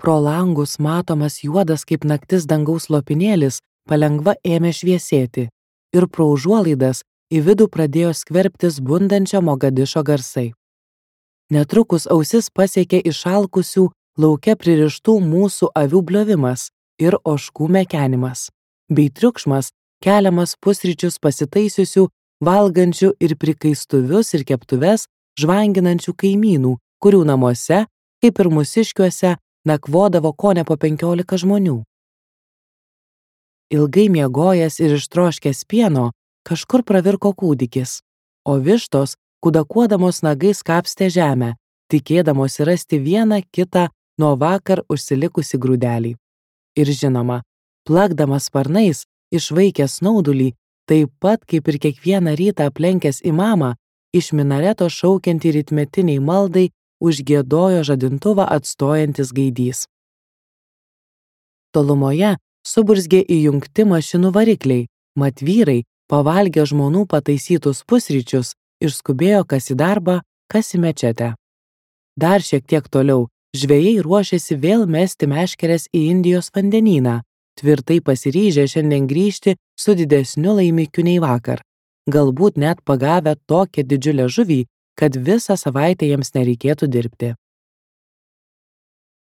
Pro langus matomas juodas kaip naktis dangaus lopinėlis palengva ėmė šviesėti ir pro užuolaidas į vidų pradėjo skverbtis bundančio Mogadišo garsai. Netrukus ausis pasiekė išalkusių lauke pririštų mūsų avių bliovimas ir ožkų mekenimas, bei triukšmas keliamas pusryčius pasitaisiusių, valgančių ir prikaistuvius ir keptuves žvanginančių kaimynų, kurių namuose, kaip ir mūsiškiuose, nakvodavo kone po 15 žmonių. Ilgai miegojęs ir ištroškęs pieno, kažkur pravirko kūdikis, o vištos, kudakuodamos nagais kapstė žemę, tikėdamosi rasti vieną kitą nuo vakar užsilikusi grūdelį. Ir žinoma, plakdamas sparnais, išvaikęs snaudulį, taip pat kaip ir kiekvieną rytą aplenkęs imamą, iš minareto šaukiantį rytmetiniai maldai užgiedojo žadintuvą atstojantis gaidys. Tolumoje suburzgė įjungti mašinų varikliai, mat vyrai, pavalgę žmonų pataisytus pusryčius, išskubėjo kas į darbą, kas į mečetę. Dar šiek tiek toliau žvejai ruošėsi vėl mesti meškeres į Indijos vandenyną, tvirtai pasiryžę šiandien grįžti su didesniu laimikiu nei vakar, galbūt net pagavę tokią didžiulę žuvį, kad visą savaitę jiems nereikėtų dirbti.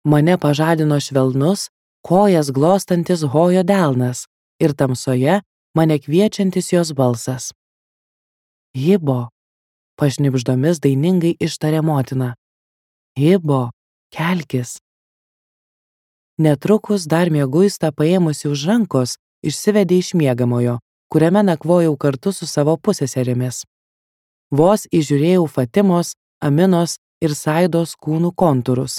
Mane pažadino švelnus, kojas glostantis Hojo delnas ir tamsoje mane kviečiantis jos balsas. Hibo, pašnibždomis dainingai ištarė motina. Hibo, kelkis. Netrukus dar mieguista paėmusi už rankos, išsivedė iš miegamojo, kuriame nakvojau kartu su savo puseserimis. Vos įžiūrėjau Fatimos, Aminos ir Saidos kūnų kontūrus.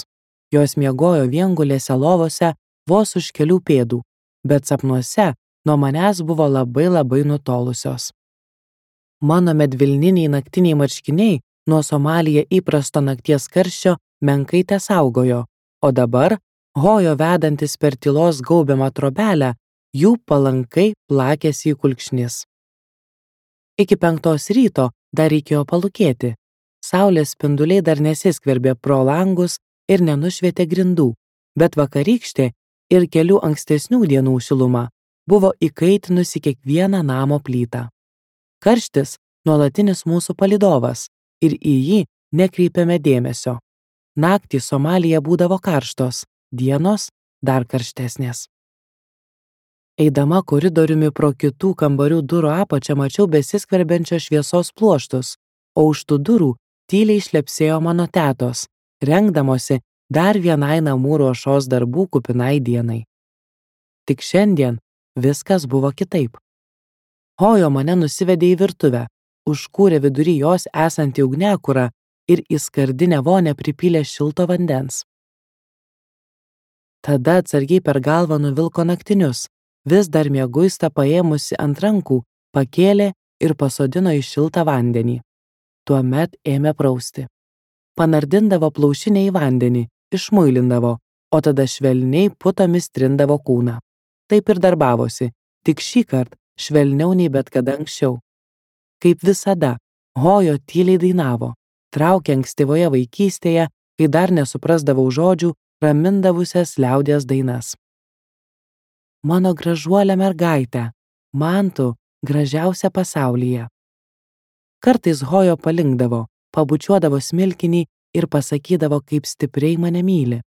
Jos miegojo viengulėse lovose vos už kelių pėdų, bet sapnuose nuo manęs buvo labai nutolusios. Mano medvilniniai naktiniai marškiniai nuo Somalyje įprasto nakties karščio menkai tesaugojo, o dabar, Hojo vedantis per tylos gaubiamą trobelę, jų palankai plakėsi į kulkšnis. Iki 5 ryto dar reikėjo palūkėti. Saulės spinduliai dar nesiskverbė pro langus ir nenušvietė grindų, bet vakarykštė ir kelių ankstesnių dienų šiluma buvo įkaitinusi kiekvieną namo plytą. Karštis nuolatinis mūsų palydovas ir į jį nekreipiame dėmesio. Naktys Somalyje būdavo karštos, dienos dar karštesnės. Eidama koridoriumi pro kitų kambarių durų apačią mačiau besiskverbiančios šviesos pluoštus, o už tų durų tyliai šlepsėjo mano tetos, rengdamosi dar vienai namų ruošos darbų kupinai dienai. Tik šiandien viskas buvo kitaip. Hojo mane nusivedė į virtuvę, užkūrė vidury jos esantį ugniakurą ir į skardinę vonę pripylė šilto vandens. Tada atsargiai per galvą nuvilko naktinius, vis dar mieguista paėmusi ant rankų, pakėlė ir pasodino į šiltą vandenį. Tuomet ėmė prausti. Panardindavo plaušinę į vandenį, išmuilindavo, o tada švelniai putomis trindavo kūną. Taip ir darbavosi, tik šįkart švelniau nei bet kada anksčiau. Kaip visada, Hojo tyliai dainavo, traukė ankstyvoje vaikystėje, kai dar nesuprasdavau žodžių, ramindavusias liaudies dainas. Mano gražuolė mergaitė, man tu gražiausia pasaulyje. Kartais Hojo palinkdavo, pabučiuodavo smilkinį ir pasakydavo, kaip stipriai mane myli.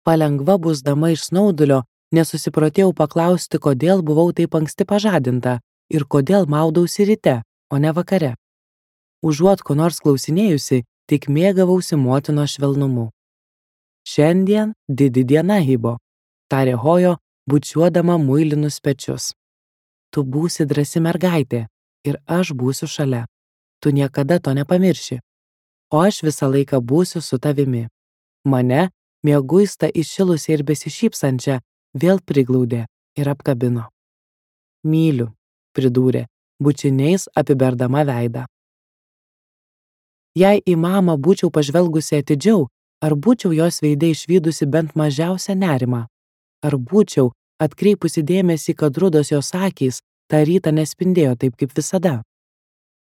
Palengva busdama iš snaudulio, nesusiprotėjau paklausti, kodėl buvau taip anksti pažadinta ir kodėl maudausi ryte, o ne vakare. Užuot ko nors klausinėjusi, tik mėgavausi motinos švelnumu. Šiandien didi diena, Hibo, tarė Hojo, bučiuodama muilinus pečius. Tu būsi drąsi mergaitė ir aš būsiu šalia. Tu niekada to nepamirši. O aš visą laiką būsiu su tavimi. Mane, mieguista įšilusią ir besišypsančią, vėl priglaudė ir apkabino. Myliu, pridūrė, bučiniais apiberdama veidą. Jei į mamą būčiau pažvelgusi atidžiau, ar būčiau jos veide išvydusi bent mažiausią nerimą? Ar būčiau atkreipusi dėmesį, kad rudos jos akys tą rytą nespindėjo taip kaip visada?